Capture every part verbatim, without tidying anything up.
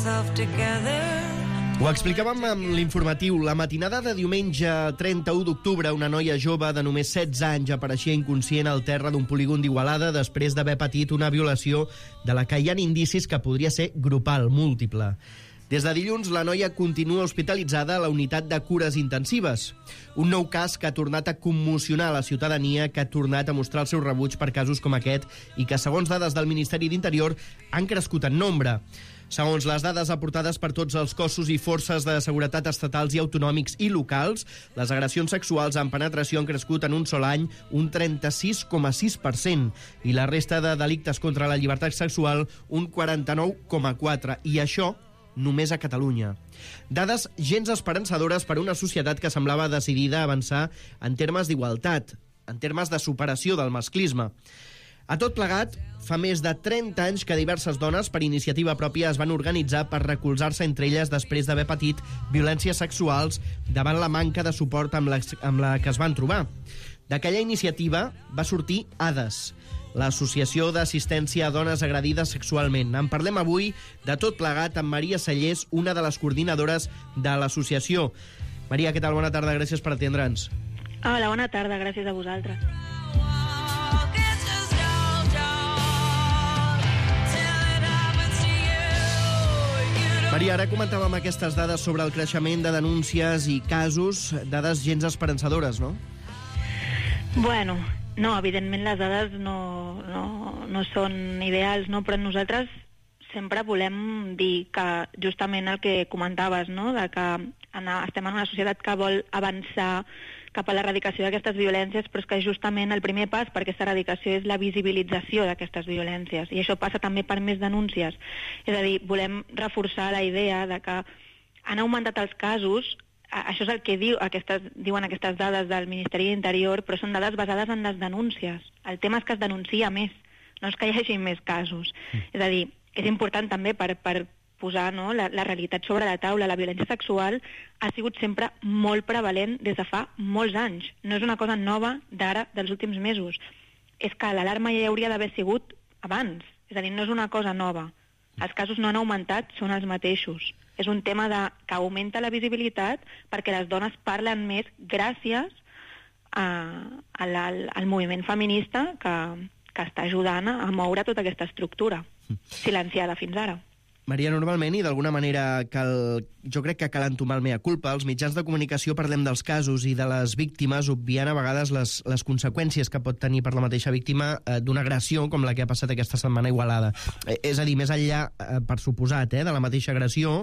myself together. Ho explicàvem amb l'informatiu. La matinada de diumenge trenta-u d'octubre, una noia jove de només setze anys apareixia inconscient al terra d'un polígon d'Igualada després d'haver patit una violació de la que hi ha indicis que podria ser grupal, múltiple. Des de dilluns, la noia continua hospitalitzada a la unitat de cures intensives. Un nou cas que ha tornat a commocionar la ciutadania, que ha tornat a mostrar el seu rebuig per casos com aquest i que, segons dades del Ministeri d'Interior, han crescut en nombre. Segons les dades aportades per tots els cossos i forces de seguretat estatals i autonòmics i locals, les agressions sexuals amb penetració han crescut en un sol any un trenta-sis coma sis per cent i la resta de delictes contra la llibertat sexual un quaranta-nou coma quatre per cent. I això només a Catalunya. Dades gens esperançadores per a una societat que semblava decidida a avançar en termes d'igualtat, en termes de superació del masclisme. A tot plegat, fa més de trenta anys que diverses dones, per iniciativa pròpia, es van organitzar per recolzar-se entre elles després d'haver patit violències sexuals davant la manca de suport amb la, amb la que es van trobar. D'aquella iniciativa va sortir ADAS, l'Associació d'Assistència a Dones Agredides Sexualment. En parlem avui de tot plegat amb Maria Sallés, una de les coordinadores de l'associació. Maria, què tal? Bona tarda, gràcies per atendre'ns. Hola, bona tarda, gràcies a vosaltres. Maria, ara comentàvem aquestes dades sobre el creixement de denúncies i casos, dades gens esperançadores, no? Bueno, no, evidentment les dades no, no, no són ideals, no? Però nosaltres sempre volem dir que justament el que comentaves, no? De que anar, estem en una societat que vol avançar cap a l'erradicació d'aquestes violències, però és que justament el primer pas per aquesta erradicació és la visibilització d'aquestes violències, i això passa també per més denúncies. És a dir, volem reforçar la idea de que han augmentat els casos. Això és el que diu, aquestes, diuen aquestes dades del Ministeri d'Interior, però són dades basades en les denúncies. El tema és que es denuncia més, no és que hi hagi més casos. Mm. És a dir, és important també per, per posar, no, la, la realitat sobre la taula. La violència sexual ha sigut sempre molt prevalent des de fa molts anys. No és una cosa nova d'ara, dels últims mesos. És que l'alarma ja hauria d'haver sigut abans. És a dir, no és una cosa nova. Els casos no han augmentat, són els mateixos. És un tema de, que augmenta la visibilitat perquè les dones parlen més gràcies a, a la, al moviment feminista que, que està ajudant a moure tota aquesta estructura silenciada fins ara. Maria, normalment, i d'alguna manera cal, jo crec que cal entomar el mea culpa, els mitjans de comunicació parlem dels casos i de les víctimes, obviant a vegades les, les conseqüències que pot tenir per la mateixa víctima eh, d'una agressió com la que ha passat aquesta setmana a Igualada. Eh, és a dir, més enllà, eh, per suposat, eh, de la mateixa agressió,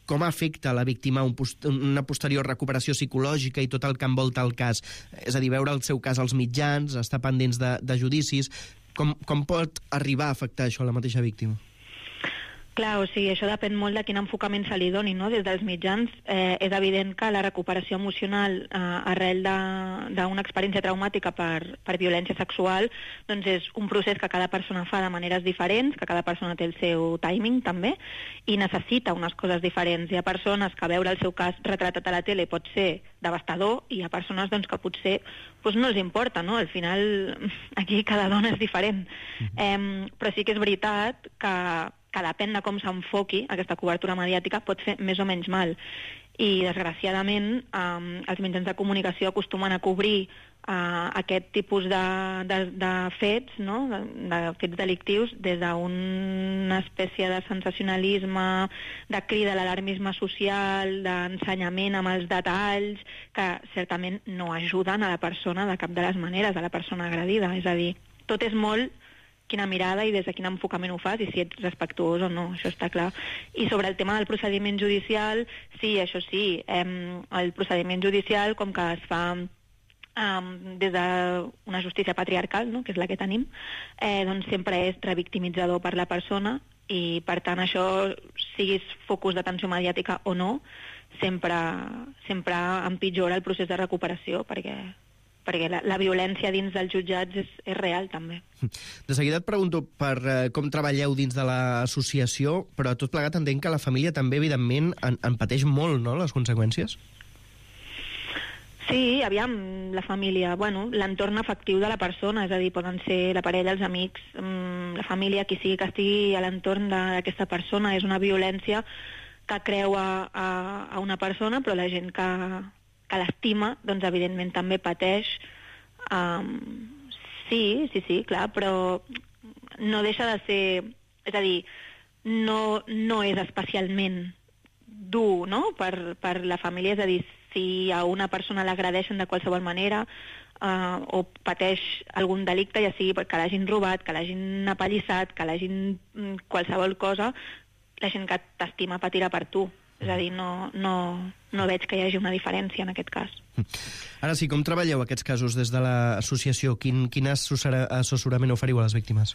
com afecta a la víctima un post una posterior recuperació psicològica i tot el que envolta el cas? És a dir, veure el seu cas als mitjans, estar pendents de, de judicis, com, com pot arribar a afectar això a la mateixa víctima? Clar, o sigui, això depèn molt de quin enfocament se li doni, no? Des dels mitjans eh, és evident que la recuperació emocional eh, arrel d'una experiència traumàtica per, per violència sexual doncs és un procés que cada persona fa de maneres diferents, que cada persona té el seu timing també, i necessita unes coses diferents. Hi ha persones que veure el seu cas retratat a la tele pot ser devastador, i hi ha persones doncs, que potser doncs, no els importa, no? Al final aquí cada dona és diferent. Mm-hmm. eh, però sí que és veritat que que depèn de com s'enfoqui aquesta cobertura mediàtica pot fer més o menys mal. I, desgraciadament, eh, els mitjans de comunicació acostumen a cobrir eh, aquest tipus de, de, de fets, no? de, de fets delictius, des d'una espècie de sensacionalisme, de crida a l'alarmisme social, d'ensenyament amb els detalls, que certament no ajuden a la persona de cap de les maneres, a la persona agredida. És a dir, tot és molt quina mirada i des de quin enfocament ho fas i si ets respectuós o no, això està clar. I sobre el tema del procediment judicial, sí, això sí, eh, el procediment judicial, com que es fa eh, des d'una justícia patriarcal, no?, que és la que tenim, eh, doncs sempre és revictimitzador per la persona, i per tant això, siguis focus d'atenció mediàtica o no, sempre, sempre empitjora el procés de recuperació, perquè perquè la, la violència dins dels jutjats és, és real, també. De seguida et pregunto per eh, com treballeu dins de l'associació, però tot plegat entenc que la família també, evidentment, en, en pateix molt, no?, les conseqüències? Sí, aviam, la família, bueno, l'entorn afectiu de la persona, és a dir, poden ser la parella, els amics, la família, qui sigui que estigui a l'entorn d'aquesta persona. És una violència que creua a, a una persona, però la gent que, que l'estima, doncs evidentment també pateix. Um, sí, sí, sí, clar, però no deixa de ser... És a dir, no, no és especialment dur, no?, per, per la família, és a dir, si a una persona l'agredeixen de qualsevol manera uh, o pateix algun delicte, ja sigui que l'hagin robat, que l'hagin apallissat, que l'hagin qualsevol cosa, la gent que t'estima patirà per tu. És a dir, no, no, no veig que hi hagi una diferència en aquest cas. Ara sí, com treballeu aquests casos des de l'associació? Quin, quin assessorament oferiu a les víctimes?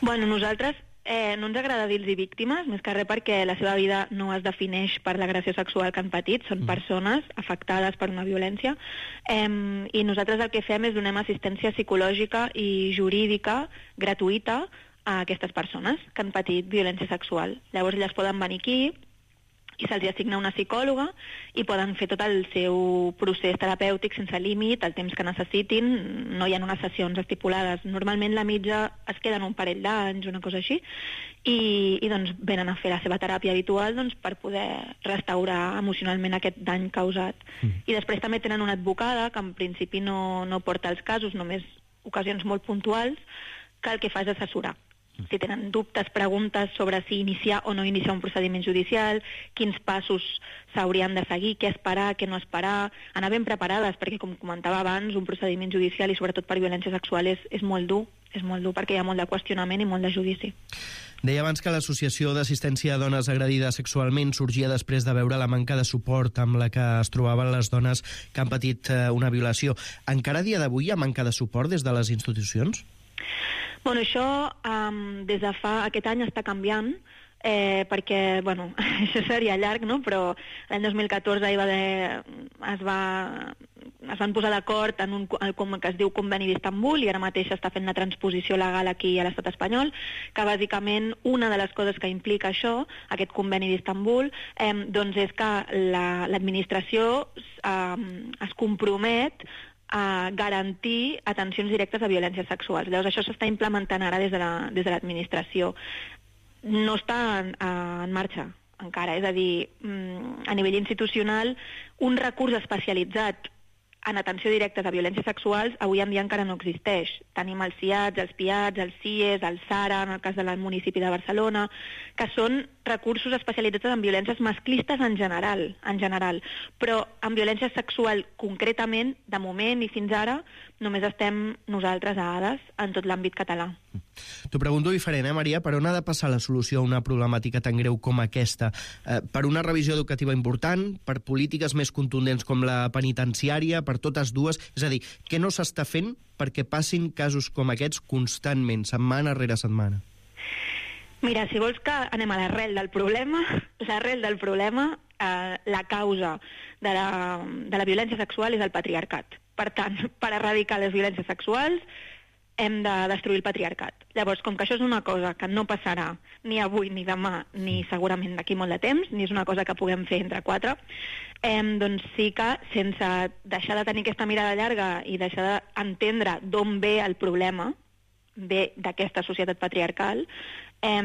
Bueno, nosaltres eh, no ens agrada dir-los víctimes, més que res perquè la seva vida no es defineix per l'agressió sexual que han patit, són mm. persones afectades per una violència, eh, i nosaltres el que fem és donem assistència psicològica i jurídica gratuïta a aquestes persones que han patit violència sexual. Llavors elles poden venir aquí i se'ls assigna una psicòloga i poden fer tot el seu procés terapèutic sense límit, el temps que necessitin. No hi ha unes sessions estipulades. Normalment la mitja es queden un parell d'anys, una cosa així, i, i doncs venen a fer la seva teràpia habitual doncs, per poder restaurar emocionalment aquest dany causat. Mm. I després també tenen una advocada que en principi no, no porta els casos, només ocasions molt puntuals, que el que fa és assessorar. Si tenen dubtes, preguntes sobre si iniciar o no iniciar un procediment judicial, quins passos s'haurien de seguir, què esperar, què no esperar, anar ben preparades, perquè, com comentava abans, un procediment judicial, i sobretot per violència sexual, és, és molt dur, és molt dur perquè hi ha molt de qüestionament i molt de judici. Deia abans que l'Associació d'Assistència a Dones Agredides Sexualment sorgia després de veure la manca de suport amb la que es trobaven les dones que han patit una violació. Encara a dia d'avui hi ha manca de suport des de les institucions? Bueno, això um, des de fa aquest any està canviant, eh, perquè, bueno, això seria llarg, no?, però l'any dos mil catorze hi va haver, es, va, es van posar d'acord en un com que es diu Conveni d'Istanbul, i ara mateix està fent la transposició legal aquí a l'estat espanyol, que bàsicament una de les coses que implica això, aquest Conveni d'Istanbul, eh, doncs és que la, l'administració eh, es compromet a garantir atencions directes a violències sexuals. Llavors, això s'està implementant ara des de la, des de l'administració. No està en, en marxa encara, és a dir, a nivell institucional, un recurs especialitzat en atenció directa a violències sexuals avui en dia encara no existeix. Tenim els C I A Ts, els P I A Ts, els C I E S, el SARA, en el cas del municipi de Barcelona, que són recursos especialitzats en violències masclistes en general, en general. Però en violència sexual concretament, de moment i fins ara, només estem nosaltres a Hades en tot l'àmbit català. T'ho pregunto diferent, eh, Maria? Per on ha de passar la solució a una problemàtica tan greu com aquesta? Eh, per una revisió educativa important? Per polítiques més contundents com la penitenciària? Per totes dues? És a dir, què no s'està fent perquè passin casos com aquests constantment, setmana rere setmana? Mira, si vols que anem a l'arrel del problema, l'arrel del problema, eh, la causa de la, de la violència sexual és el patriarcat. Per tant, per erradicar les violències sexuals hem de destruir el patriarcat. Llavors, com que això és una cosa que no passarà ni avui, ni demà, ni segurament d'aquí molt de temps, ni és una cosa que puguem fer entre quatre, eh, doncs sí que, sense deixar de tenir aquesta mirada llarga i deixar d'entendre d'on ve el problema, ve d'aquesta societat patriarcal, eh,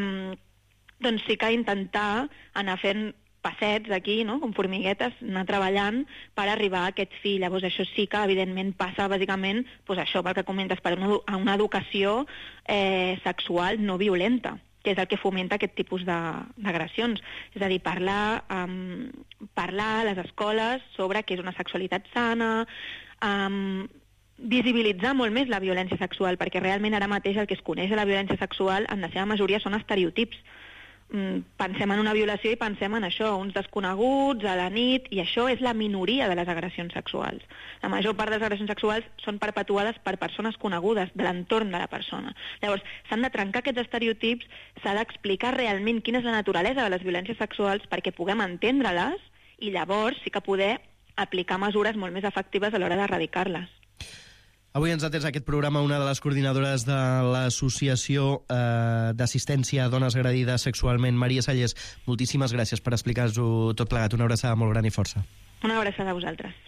doncs sí que intentar anar fent passets aquí, no?, com formiguetes, anar treballant per arribar a aquest fi. Llavors això sí que evidentment passa bàsicament, doncs això, pel que comentes, per una, a una educació eh, sexual no violenta, que és el que fomenta aquest tipus d'agressions. És a dir, parlar, um, parlar a les escoles sobre què és una sexualitat sana, um, visibilitzar molt més la violència sexual, perquè realment ara mateix el que es coneix de la violència sexual en la seva majoria són estereotips. Pensem en una violació i pensem en això, uns desconeguts, a la nit, i això és la minoria de les agressions sexuals. La major part de les agressions sexuals són perpetuades per persones conegudes, de l'entorn de la persona. Llavors, s'han de trencar aquests estereotips, s'ha d'explicar realment quina és la naturalesa de les violències sexuals perquè puguem entendre-les i llavors sí que poder aplicar mesures molt més efectives a l'hora d'erradicar-les. Avui ens ha atès aquest programa una de les coordinadores de l'Associació eh, d'Assistència a Dones Agredides Sexualment, Maria Sallés. Moltíssimes gràcies per explicar-nos-ho tot plegat. Una abraçada molt gran i força. Una abraçada a vosaltres.